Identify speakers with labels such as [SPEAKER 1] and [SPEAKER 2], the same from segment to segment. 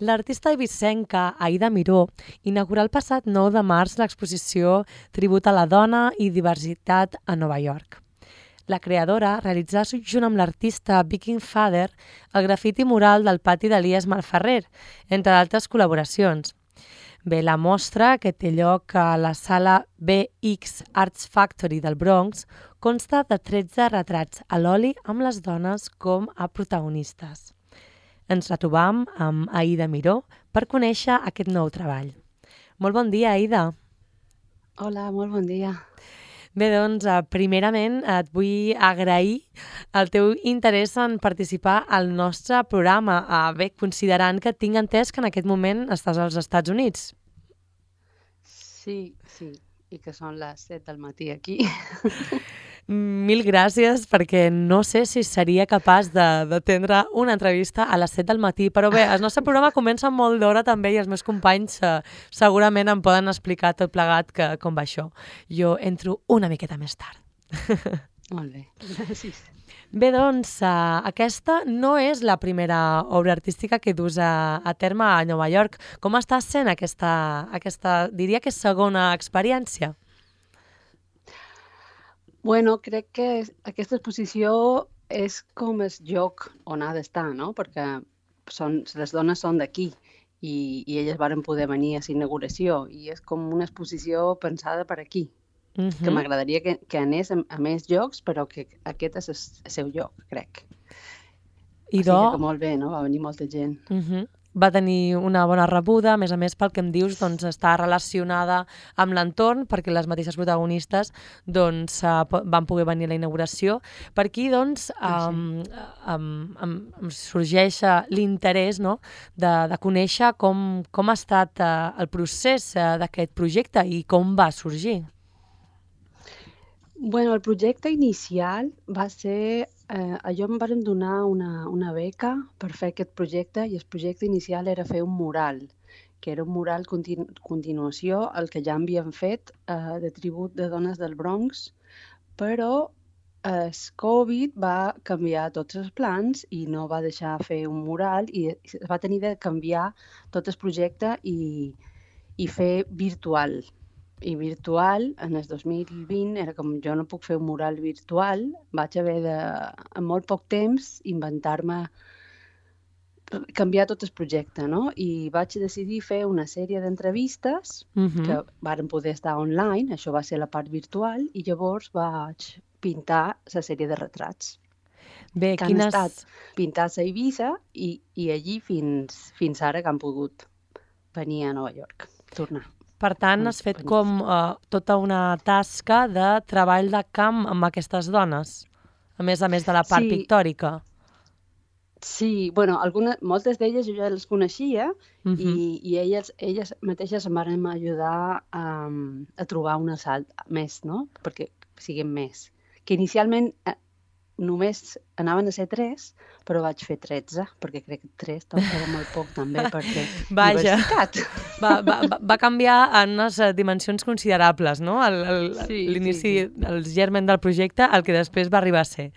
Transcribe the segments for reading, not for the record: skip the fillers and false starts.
[SPEAKER 1] L'artista eivissenca Aida Miró inaugurà el passat 9 de març l'exposició Tribut a la dona i diversitat a Nova York. La creadora realitzà junt amb l'artista Viking Father el grafiti mural del pati d'Elies Malferrer, entre d'altres col·laboracions. Bé, la mostra, que té lloc a la sala BX Arts Factory del Bronx, consta de 13 retrats a l'oli amb les dones com a protagonistes. Ens retrobam amb Aida Miró per conèixer aquest nou treball. Molt bon dia, Aida.
[SPEAKER 2] Hola, molt bon dia.
[SPEAKER 1] Bé, doncs, primerament et vull agrair el teu interès en participar al nostre programa, bé, considerant que tinc entès que en aquest moment estàs als Estats Units.
[SPEAKER 2] Sí, i que són les 7 del matí aquí.
[SPEAKER 1] Mil gràcies, perquè no sé si seria capaç d'atendre una entrevista a les 7 del matí, però bé, el nostre programa comença molt d'hora també i els meus companys segurament em poden explicar tot plegat com va això. Jo entro una miqueta més tard.
[SPEAKER 2] Molt bé, gràcies.
[SPEAKER 1] Bé, doncs, aquesta no és la primera obra artística que dus a terme a Nova York. Com està sent aquesta diria que és segona experiència?
[SPEAKER 2] Bueno, crec que aquesta exposició és com el lloc on ha d'estar, no? Perquè les dones són d'aquí i elles varen poder venir a la inauguració i és com una exposició pensada per aquí. Que m'agradaria que anés a més llocs, però que aquest és el seu lloc, crec. Així que molt bé, no? Va venir molta gent.
[SPEAKER 1] Va tenir una bona rebuda, a més pel que em dius, doncs, està relacionada amb l'entorn, perquè les mateixes protagonistes doncs, van poder venir a la inauguració. Per aquí doncs, em sorgeix l'interès, no?, de conèixer com ha estat el procés d'aquest projecte i com va sorgir.
[SPEAKER 2] Bueno, el projecte inicial va ser... jo em van donar una beca per fer aquest projecte i el projecte inicial era fer un mural, que era un mural continuació al que ja havíem fet de tribut de dones del Bronx, però el Covid va canviar tots els plans i no va deixar fer un mural i va tenir de canviar tot el projecte i fer virtual. I virtual, en el 2020, era com jo no puc fer un mural virtual, vaig haver de, en molt poc temps, canviar tot el projecte, no? I vaig decidir fer una sèrie d'entrevistes que varen poder estar online, això va ser la part virtual, i llavors vaig pintar la sèrie de retrats.
[SPEAKER 1] Bé,
[SPEAKER 2] que han estat pintats a Eivissa i allí fins ara que han pogut venir a Nova York, tornar.
[SPEAKER 1] Per tant, has fet com tota una tasca de treball de camp amb aquestes dones, a més de la part pictòrica.
[SPEAKER 2] Sí, bueno, moltes d'elles jo ja les coneixia i elles mateixes em van ajudar a trobar un assalt més, no?, perquè siguin més. Que inicialment només anaven a ser 3, però vaig fer 13, perquè crec que 3 era molt poc també, perquè diversitat.
[SPEAKER 1] Va canviar en unes dimensions considerables, no? L'inici, el germen del projecte, el que després va arribar a ser.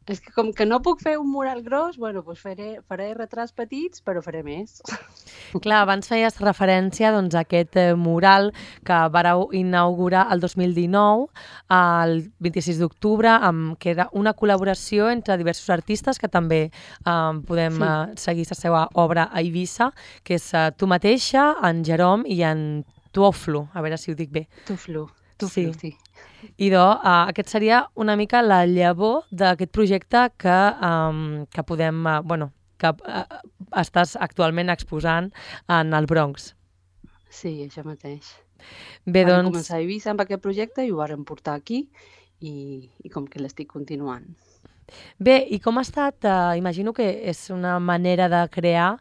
[SPEAKER 2] És que com que no puc fer un mural gros, bueno, doncs faré retrats petits, però faré més.
[SPEAKER 1] Clar, abans feies referència doncs, a aquest mural que vareu inaugurar el 2019, el 26 d'octubre, que era una col·laboració entre diversos artistes que també podem seguir la seva obra a Eivissa, que és tu mateixa, en Jerome i en Tuoflu, a veure si ho dic bé.
[SPEAKER 2] Tuoflu, sí.
[SPEAKER 1] Idò, aquest seria una mica la llavor d'aquest projecte que podem, que estàs actualment exposant en el Bronx.
[SPEAKER 2] Sí, això mateix.
[SPEAKER 1] Bé, doncs...
[SPEAKER 2] Vam començar a Eivissa amb aquest projecte i ho vàrem portar aquí i com que l'estic continuant.
[SPEAKER 1] Bé, i com ha estat? Imagino que és una manera de crear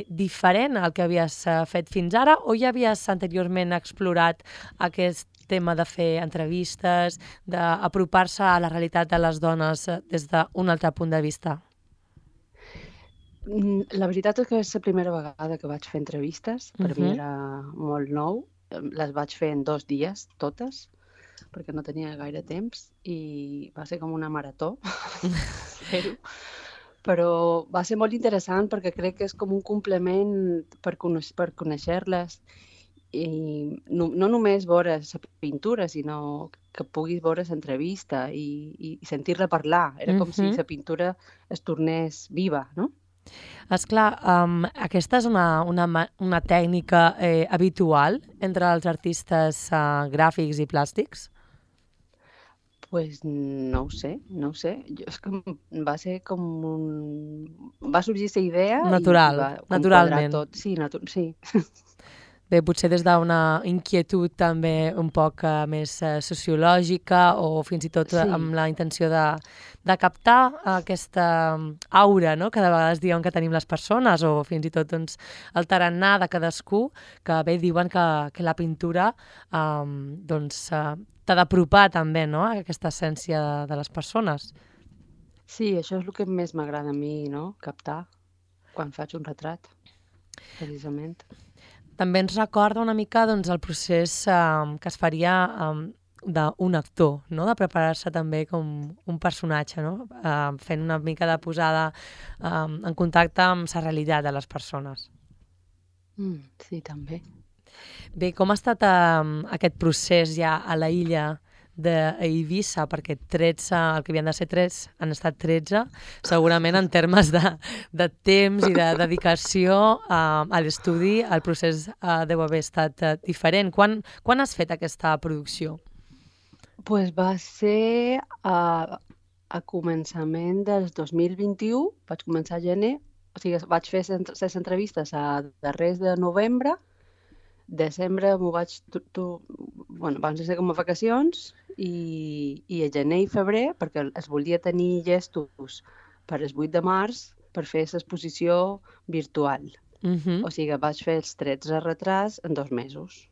[SPEAKER 1] diferent al que havies fet fins ara, o ja havies anteriorment explorat aquest tema de fer entrevistes, d'apropar-se a la realitat de les dones des d'un altre punt de vista?
[SPEAKER 2] La veritat és que és la primera vegada que vaig fer entrevistes. Per mi era molt nou. Les vaig fer en 2 dies, totes, perquè no tenia gaire temps i va ser com una marató fer-ho. Però va ser molt interessant perquè crec que és com un complement per conèixer-les i no només veure la pintura, sinó que puguis veure l'entrevista i sentir-la parlar. Era com si la pintura es tornés viva, no?
[SPEAKER 1] Esclar, aquesta és una tècnica habitual entre els artistes gràfics i plàstics?
[SPEAKER 2] Pues no ho sé. És que va ser com va sorgir la idea
[SPEAKER 1] Natural,
[SPEAKER 2] i va
[SPEAKER 1] naturalment.
[SPEAKER 2] tot. Sí, sí.
[SPEAKER 1] Bé, potser des d'una inquietud també un poc més sociològica o fins i tot amb la intenció de captar aquesta aura, no?, que de vegades diuen que tenim les persones o fins i tot doncs, el tarannà de cadascú, que bé diuen que la pintura t'ha d'apropar també, no?, a aquesta essència de les persones.
[SPEAKER 2] Sí, això és el que més m'agrada a mi, no?, captar quan faig un retrat, precisament.
[SPEAKER 1] També ens recorda una mica doncs, el procés que es faria d'un actor, no?, de preparar-se també com un personatge, no?, fent una mica de posada en contacte amb la realitat de les persones.
[SPEAKER 2] Sí, també.
[SPEAKER 1] Bé, com ha estat aquest procés ja a la illa d'Eivissa, perquè 13, el que havien de ser 3, han estat 13, segurament en termes de temps i de dedicació a l'estudi, el procés deu haver estat diferent. Quan has fet aquesta producció?
[SPEAKER 2] Pues va ser a començament del 2021, vaig començar a gener, o sigui, vaig fer les entrevistes a darrers de novembre, desembre m'ho vaig... van ser com a vacacions i a gener i febrer, perquè es volia tenir llestos per el 8 de març per fer l'exposició virtual. O sigui, vaig fer els 13 retrats en 2 mesos.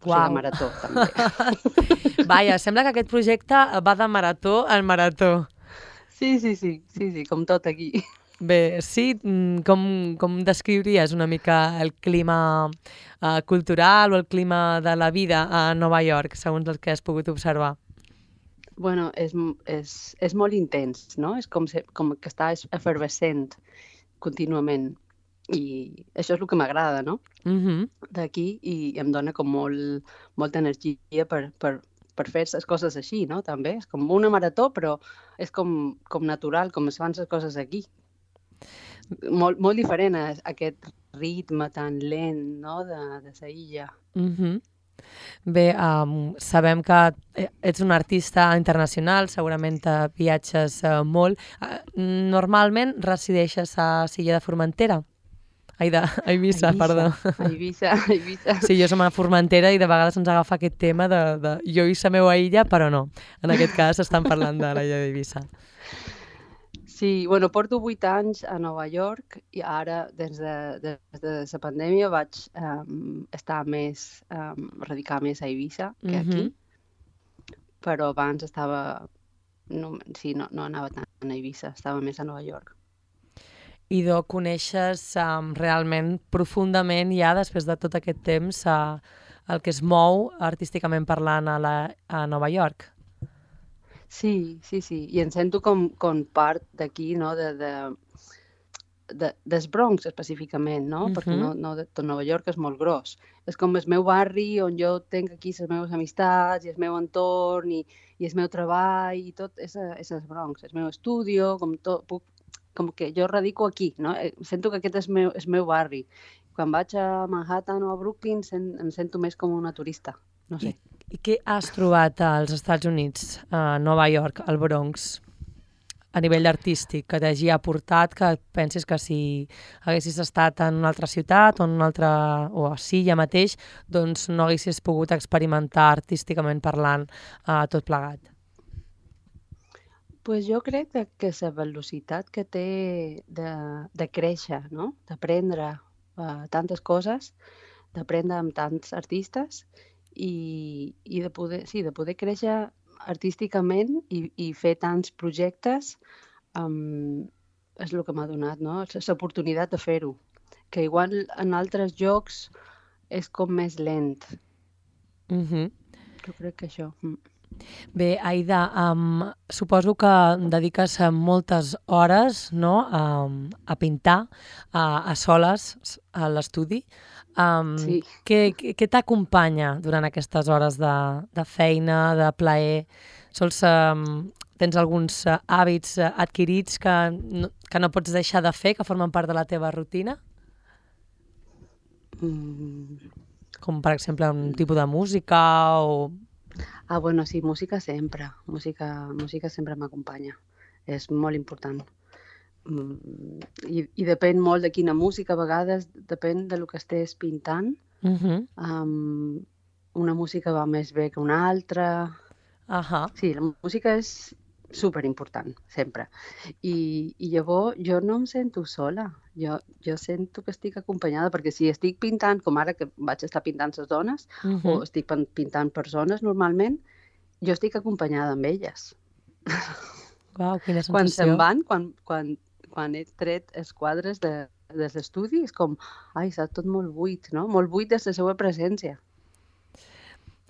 [SPEAKER 2] O sigui, marató, també.
[SPEAKER 1] Vaja, sembla que aquest projecte va de marató en marató.
[SPEAKER 2] Sí, com tot aquí.
[SPEAKER 1] Bé, sí, com descriuries una mica el clima cultural o el clima de la vida a Nova York, segons el que has pogut observar?
[SPEAKER 2] Bueno, és molt intens, no? És com que està efervescent contínuament. I això és el que m'agrada, no? D'aquí, i em dona com molta energia per fer les coses així, no? També és com una marató, però és com natural, com es fan les coses aquí. Molt diferent a aquest ritme tan lent, no?, de la illa.
[SPEAKER 1] Bé, sabem que ets un artista internacional, segurament viatges molt. Normalment resideixes a l'illa de Formentera? Ai, d'Eivissa, perdó.
[SPEAKER 2] Eivissa.
[SPEAKER 1] Sí, jo som a Formentera i de vegades ens agafa aquest tema de jo i la meva illa, però no. En aquest cas estan parlant de l'illa d'Eivissa.
[SPEAKER 2] Sí, bueno, porto 8 anys a Nova York i ara, des de la pandèmia, vaig estar radicar més a Eivissa que aquí, però abans estava... No anava tant a Eivissa, estava més a Nova York.
[SPEAKER 1] Idò, coneixes realment profundament ja, després de tot aquest temps, el que es mou artísticament parlant a Nova York?
[SPEAKER 2] Sí, i em sento com part d'aquí, no?, del Bronx específicament, no? Perquè tot Nova York és molt gros. És com el meu barri on jo tinc aquí les meves amistats i el meu entorn i el meu treball i tot és el Bronx, el meu estudi, com que jo radico aquí, no? Sento que aquest és el meu barri. Quan vaig a Manhattan o a Brooklyn em sento més com una turista, no sé.
[SPEAKER 1] I què has trobat als Estats Units, a Nova York, al Bronx, a nivell artístic, que t'hagi aportat, que pensis que si haguessis estat en una altra ciutat o en una altra, o a Silla mateix, doncs no haguessis pogut experimentar artísticament parlant tot plegat?
[SPEAKER 2] Pues jo crec que la velocitat que té de créixer, no?, d'aprendre tantes coses, d'aprendre amb tants artistes, i de poder créixer artísticament i fer tants projectes és el que m'ha donat, no?, l'oportunitat de fer-ho, que igual en altres llocs és com més lent. Jo crec que això.
[SPEAKER 1] Bé, Aida, suposo que dediques moltes hores, no?, a pintar, a soles, a l'estudi.
[SPEAKER 2] Sí.
[SPEAKER 1] Què t'acompanya durant aquestes hores de feina, de plaer? Tens alguns hàbits adquirits que no pots deixar de fer, que formen part de la teva rutina? Com, per exemple, un tipus de música o...
[SPEAKER 2] Bueno, sí, música sempre. Música sempre m'acompanya. És molt important. I depèn molt de quina música, a vegades depèn de lo que estés pintant. Una música va més bé que una altra. Sí, la música és superimportant, sempre. I llavors jo no em sento sola. Jo sento que estic acompanyada, perquè si estic pintant, com ara que vaig estar pintant les dones, o estic pintant persones normalment, jo estic acompanyada amb elles.
[SPEAKER 1] Uau, quina sensació.
[SPEAKER 2] Quan se'n van, quan he tret els quadres de l'estudi, és com, està tot molt buit, no? Molt buit des de la seva presència.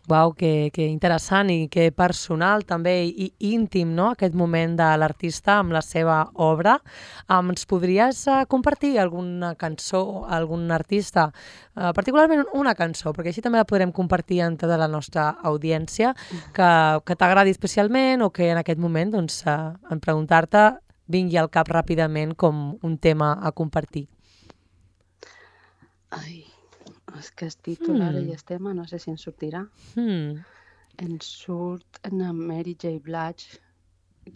[SPEAKER 1] Uau, que interessant i que personal també i íntim, no?, aquest moment de l'artista amb la seva obra. Ens podries compartir alguna cançó, algun artista, particularment una cançó, perquè així també la podrem compartir amb tota la nostra audiència, que t'agradi especialment o que en aquest moment, doncs, en preguntar-te, vingui al cap ràpidament com un tema a compartir.
[SPEAKER 2] És que el títol ara i el tema no sé si ens sortirà. Ens surt una Mary J. Blige,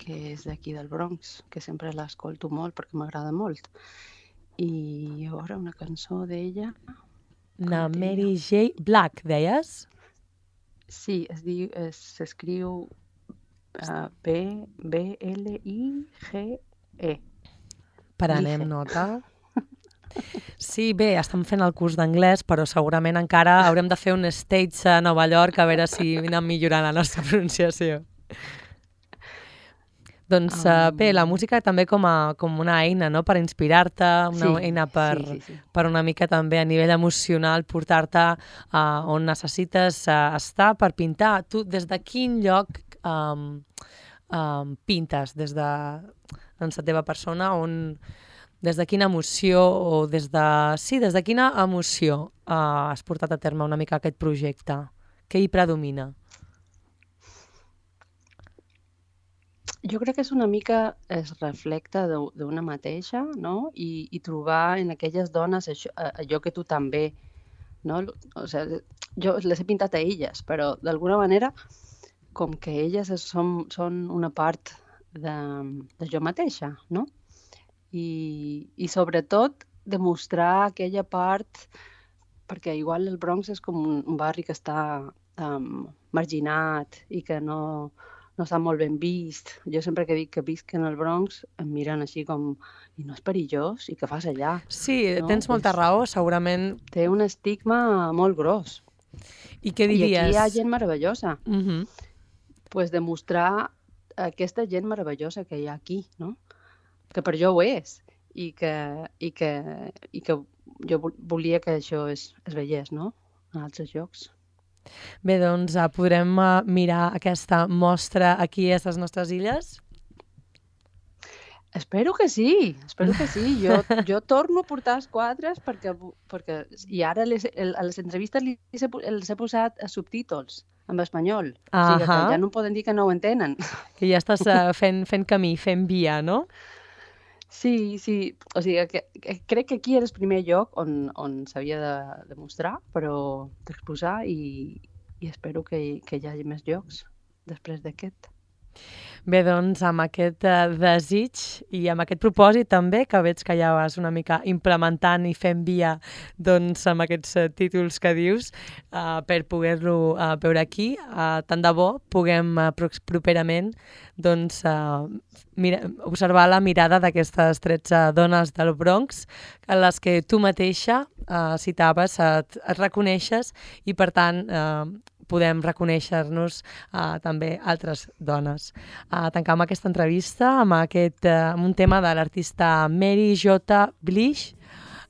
[SPEAKER 2] que és d'aquí del Bronx, que sempre l'escolto molt perquè m'agrada molt. I llavors una cançó d'ella...
[SPEAKER 1] Una Mary J. Blige, deies?
[SPEAKER 2] Sí, s'escriu B-L-I-G-E.
[SPEAKER 1] Prenem nota. Sí, bé, estem fent el curs d'anglès, però segurament encara haurem de fer un stage a Nova York a veure si anem millorant la nostra pronunciació. Doncs bé, la música també com una eina, no?, per inspirar-te, una eina per una mica també a nivell emocional portar-te on necessites estar per pintar. Tu des de quin lloc pintes? Des de la teva persona, des de quina emoció o des de quina emoció has portat a terme una mica aquest projecte? Què hi predomina?
[SPEAKER 2] Jo crec que és una mica es reflecte d'una mateixa, no? I trobar en aquelles dones allò que tu també, no? O sigui, jo les he pintat a elles, però d'alguna manera com que elles són una part de jo mateixa, no? I sobretot demostrar aquella part, perquè igual el Bronx és com un barri que està marginat i que no està molt ben vist. Jo sempre que dic que visc en el Bronx em miren així com, i no és perillós? I què fas allà?
[SPEAKER 1] Sí, tens molta raó, segurament.
[SPEAKER 2] Té un estigma molt gros.
[SPEAKER 1] I què diries?
[SPEAKER 2] I aquí hi ha gent meravellosa. Pues demostrar aquesta gent meravellosa que hi ha aquí, no? Que per jo ho és, i que jo volia que això es veiés, no?, en altres llocs.
[SPEAKER 1] Bé, doncs podrem mirar aquesta mostra aquí a les nostres illes?
[SPEAKER 2] Espero que sí. Jo torno a portar els quadres perquè i ara a les entrevistes els he posat subtítols en espanyol. O sigui que ja no poden dir que no ho entenen.
[SPEAKER 1] Que ja estàs fent camí, fent via, no?
[SPEAKER 2] Sí. O sigui, crec que aquí era el primer lloc on s'havia de mostrar, però d'exposar, i espero que hi hagi més llocs després d'aquest.
[SPEAKER 1] Bé, doncs, amb aquest desig i amb aquest propòsit també, que veig que ja vas una mica implementant i fent via doncs, amb aquests títols que dius, per poder-lo veure aquí. Tant de bo puguem properament doncs, observar la mirada d'aquestes 13 dones del Bronx, a les que tu mateixa citaves, et reconeixes i, per tant, podem reconèixer-nos també altres dones. Tancam aquesta entrevista amb un tema de l'artista Mary J. Blige,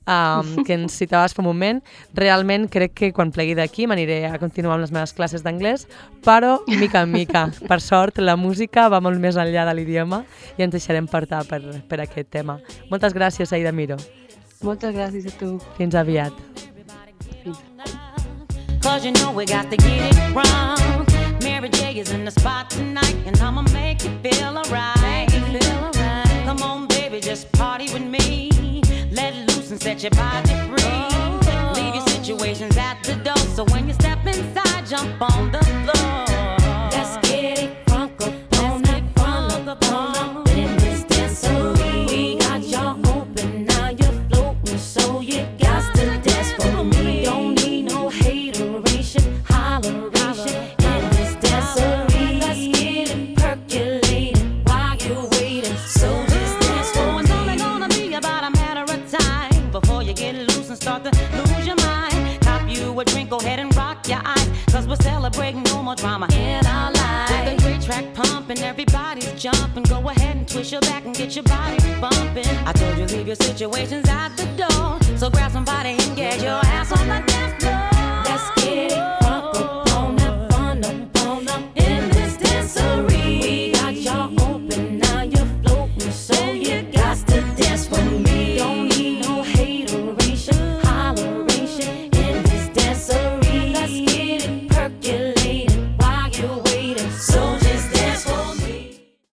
[SPEAKER 1] que ens citaves fa un moment. Realment crec que quan plegui d'aquí m'aniré a continuar amb les meves classes d'anglès, però mica en mica. Per sort, la música va molt més enllà de l'idioma i ens deixarem portar per aquest tema. Moltes gràcies, Aida Miró.
[SPEAKER 2] Moltes gràcies a tu.
[SPEAKER 1] Fins aviat.
[SPEAKER 2] Fins.
[SPEAKER 3] 'Cause you know we got to get it wrong. Mary J is in the spot tonight, and I'ma make you feel alright. Come on, baby, just party with me. Let loose and set your body free. Leave your situations at the door, so when you step inside, jump on the floor.
[SPEAKER 4] Let's get it crunk up on it, crunk up on it. In this dancery, we got y'all open, now you're floating, so you got to dance for me. Don't need no hateration, holleration. In this dancery, let's get it percolated while you're waiting. So just dance for
[SPEAKER 3] It's
[SPEAKER 4] me.
[SPEAKER 3] only gonna be about a matter of time before you get loose and start to lose your mind. Cop you a drink, go ahead and rock your eyes, 'cause we're celebrating no more drama
[SPEAKER 4] In our
[SPEAKER 3] with the
[SPEAKER 4] life,
[SPEAKER 3] great track pumping, everybody's jumping. Go ahead and twist your back and get your body bumping. I told you leave your situations at the door, so grab somebody